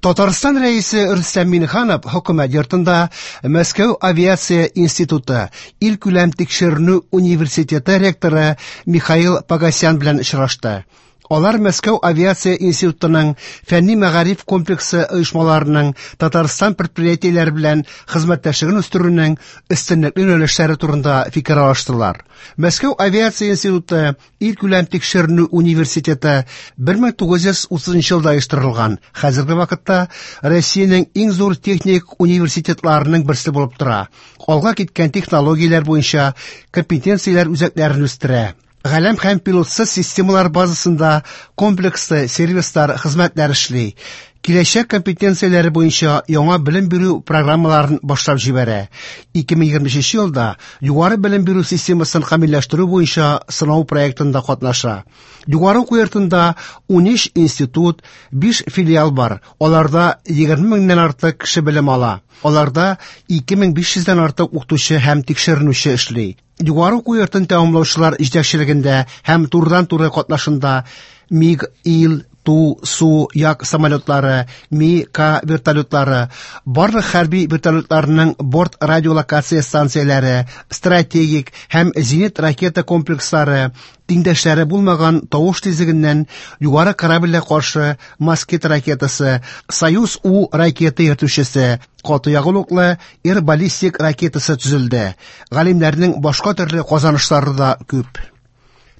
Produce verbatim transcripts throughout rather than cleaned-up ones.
Татарстан Рәисе Рөстәм Миңнеханов Хөкүмәт йортында Мәскәү авиация институты илкүләм тикшеренү университеты ректоры Михаил Погосян белән очрашты. Алар Мәскәү авиация институтының фәнни-мәгариф комплексы оешмаларының Татарстан предприятиеләре белән хезмәттәшлеген үстерүнең өстенлекле юнәлешләре турында фикер алыштылар. Мәскәү авиация институты илкүләм тикшеренү университеты бер мең тугыз йөз утызынчы елда оештырылган. Хәзерге вакытта Россиянең иң зур техник университетларының берсе булып тора. Алга киткән технологияләр буенча компетенцияләр үзәкләрен үстерә. Галәм һәм пилотсыз системалар базасында комплекслы сервислар, хезмәтләр эшли. Киләчәк компетенцияләре буенча яңа белем бирү программаларын башлап җибәрә. Ике мең егерме өченче елда югары белем бирү системасын камилләштерү буенча сынау проектында катнаша. Югары уку йортында ун өч институт, биш филиал бар. Аларда егерме меңнән артык кеше белем ала. Аларда ике мең биш йөздән артык укытучы һәм тикшеренүче эшли. Югары уку йортын тәмамлаучылар җитәкчелегендә һәм турыдан-туры катнашында МиГ, Ил, Ту, Су, Як самолетлары, Ми, К вертолетлары, барлык хәрби вертолетларының борт радиолокация станцияләре, стратегик һәм зенит ракета комплекслары, тиңдәшләре булмаган тавыш тизлегеннән югары корабльгә каршы Москит ракетасы, Союз У ракета йөртүчесе, каты ягулыклы Р баллистик ракетасы төзелде. Галимнәрнең башка төрле казанышлары да күп.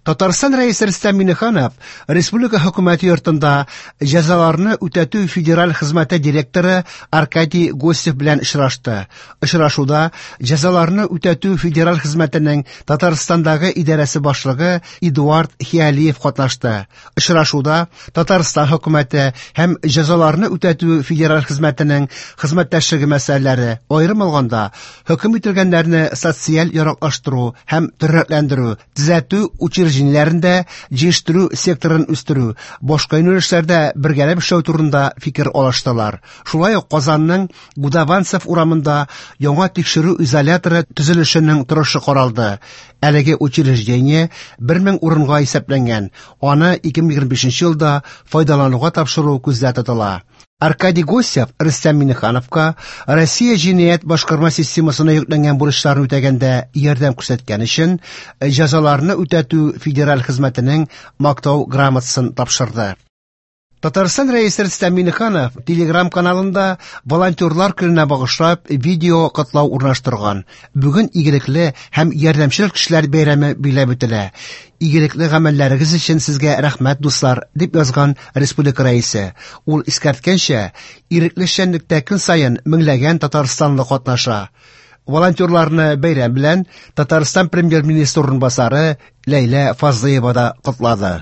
Татарстан Рәисе Рөстәм Миңнеханов Республика Хөкүмәте йортында җәзаларны үтәтү федераль хезмәте директоры Аркадий Гостев белән очрашты. Очрашуда җәзаларны үтәтү федераль хезмәтенең Татарстандагы идарәсе башлыгы Эдуард Хиалиев катнашты. Очрашуда Татарстан хөкүмәте һәм җәзаларны үтәтү федераль хезмәтенең хезмәттәшлеге мәсьәләләре, аерым алганда, хөкем ителгәннәрне социаль яраклаштыру һәм тернәкләндерү, төзәтү учреждениеләрендә җыештыру секторын үстерү, башка юнәлешләрдә бергәләп эшләү турында фикер алыштылар. Шулай ук Казанның Гудованцев урамында яңа тикшерү изоляторы төзелешенең торышы каралды. Әлеге учреждение бер мең урынга исәпләнгән. Аны ике мең егерме бишенче елда файдалануга тапшыру күздә тотыла. Аркадий Гостев Рөстәм Миңнехановка Россия җинаять башкарма системасына йөкләнгән бурычларны үтәгәндә ярдәм күрсәткән өчен җәзаларны үтәтү федераль хезмәтенең мактау грамотасын тапшырды. Татарстан Рәисе Рөстәм Миңнеханов Телеграм каналында волонтерлар көненә багышлап видео котлау урнаштырган. Бүген игелекле һәм ярдәмчел кешеләр бәйрәме билгеләп үтелә. Игелекле гамәлләрегез өчен сезгә рәхмәт, дуслар, дип язган республика рәисе. Ул искәрткәнчә, ирекле эшчәнлектә көн саен меңләгән татарстанлы катнаша. Волонтерларны бәйрәм белән Татарстан премьер-министры урынбасары Ләйлә Фазлыева да котлады.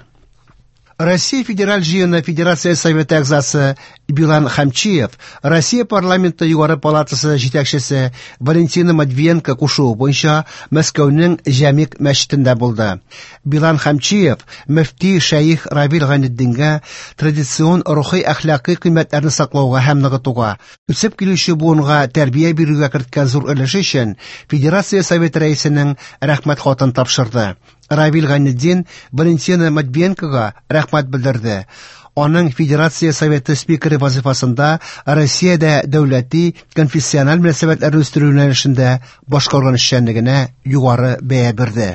Россия Федераль җыены Федерация Советы әгъзасы Билан Хамчиев, Россия парламенты югары палатасы җитәкчесе Валентина Матвиенко кушуы буенча Мәскәүнең Җәмигъ мәчетендә булды. Билан Хамчиев мөфти шәех Равил Гайнетдингә традицион рухи әхлакый кыйммәтләрне саклауга һәм ныгытуга, үсеп килүче буынга тәрбия бирүгә керткән зур өлеше өчен Федерация Советы рәисенең рәхмәт хатын тапшырды. Равил Гайнетдин Валентина Матвиенкога рәхмәт белдерде. Аның Федерация Советы спикеры вазифасында Россиядә дәүләти конфессиональ мөнәсәбәтләрне үстерү юнәлешендә башкарган эшчәнлегенә югары бәя бирде.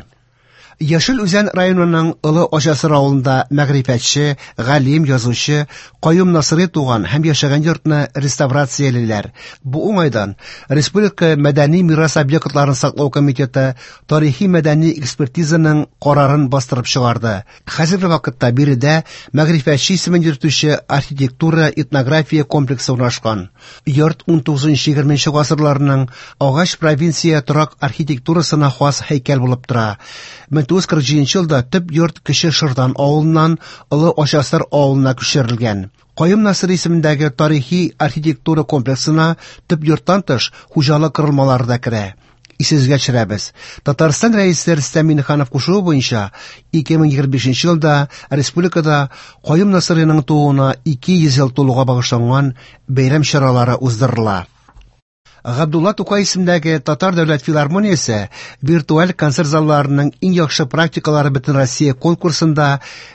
Яшел Үзән районының Олы Ачасыр авылында мәгърифәтче, галим, язучы Каюм Насыйри туган һәм яшәгән йортны реставрациялиләр. Бу уңайдан Республика мәдәни мирас объектларын саклау комитеты тарихи мәдәни экспертизаның карарын бастырып чыгарды. Хәзерге вакытта биредә мәгърифәтче исемен йөртүче архитектура этнография комплексы урнашкан. Йорт ун тугызынчы егерменче гасырларның агач провинция торак архитектурасына хас һәйкәл булып тора. Мең тугыз йөз кырык җиденче елда төп йорт Кече Шырдан авылыннан Олы Ачасыр авылына күчерелгән. Каюм Насыйри исемендәге тарихи архитектура комплексына төп йорттан тыш хуҗалык корылмалары да керә. Исегезгә төшерәбез. Татарстан Рәисе Рөстәм Миңнеханов кушуы буенча ике мең егерме бишенче елда республикада Каюм Насыйриның тууына ике йөз ел тулуга багышланган бәйрәм чаралары уздырыла. Габдулла Тукай исемендәге Татар дәүләт филармониясе виртуаль концерт залларының иң яхшы практикалары Бөтенроссия конкурсында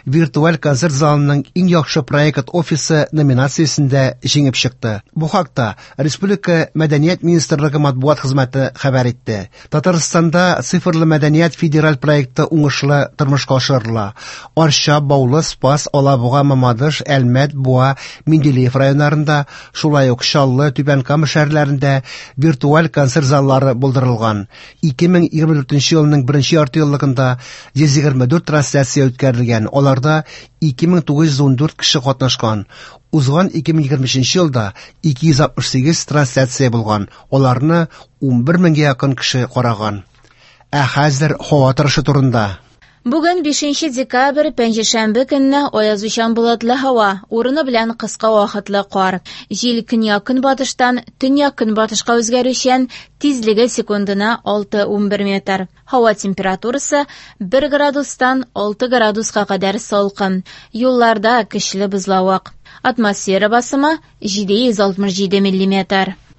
виртуаль концерт залының иң яхшы проект офисы номинациясендә җиңеп чыкты. Бу хакта Республика Мәдәният министрлыгы матбугат хезмәте хәбәр итте. Татарстанда цифрлы мәдәният федераль проекты уңышлы тормышка ашырыла. Арча, Баулы, Спас, Алабуга, Мамадыш, Әлмәт, Буа, Менделеев районнарында, шулай ук Чаллы, Түбән Кама шәһәрләрендә виртуаль концерт заллары булдырылган. ике мең егерме дүртенче елның беренче яртыеллыгында йөз егерме дүрт трансляция үткәрелгән. Аларда ике мең тугыз йөз ун дүрт кеше катнашкан. Узган ике мең егерме өченче елда ике йөз алтмыш сигез трансляция булган. Аларны ун бер меңгә якын кеше караган. Ә хәзер һава торышы турында. Бүген бишенче декабрь, пәнҗешәмбе көнне аязучан болытлы һава, урыны белән кыска вакытлы кар. Җил көньяк-көнбатыштан төньяк-көнбатышка үзгәрүчән, тизлеге секундына алты унбер метр. Һава температурасы бер градустан алты градуска кадәр салкын. Юлларда көчле бозлавык. Атмосфера басымы җиде йөз алтмыш җиде миллиметр.